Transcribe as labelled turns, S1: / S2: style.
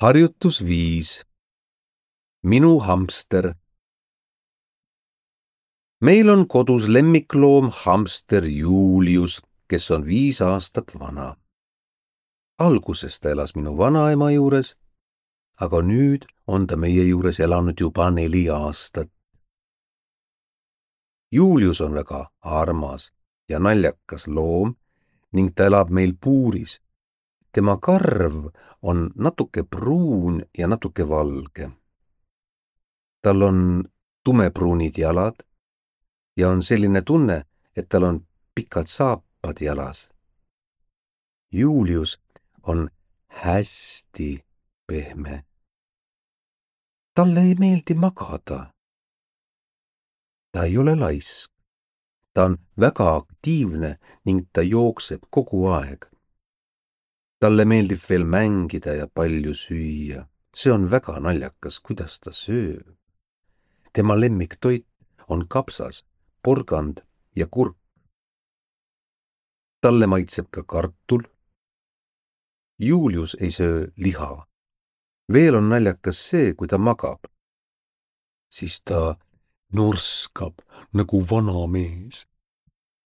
S1: Harjutus 5. Minu hamster. Meil on kodus lemmikloom hamster Julius, kes on 5 aastat vana. Alguses ta elas minu vanaema juures, aga nüüd on ta meie juures elanud juba 4 aastat. Julius on väga armas ja naljakas loom ning ta elab meil puuris. Tema karv on natuke pruun ja natuke valge. Tal on tumepruunid jalad ja on selline tunne, et tal on pikad saapad jalas. Julius on hästi pehme. Talle ei meeldi magada. Ta ei ole laisk. Ta on väga aktiivne ning ta jookseb kogu aeg. Talle meeldib veel mängida ja palju süüa. See on väga naljakas, kuidas ta sööb. Tema lemmiktoit on kapsas, porgand ja kurk. Talle maitseb ka kartul. Julius ei söö liha. Veel on naljakas see, kui ta magab. Siis ta norskab nagu vana mees.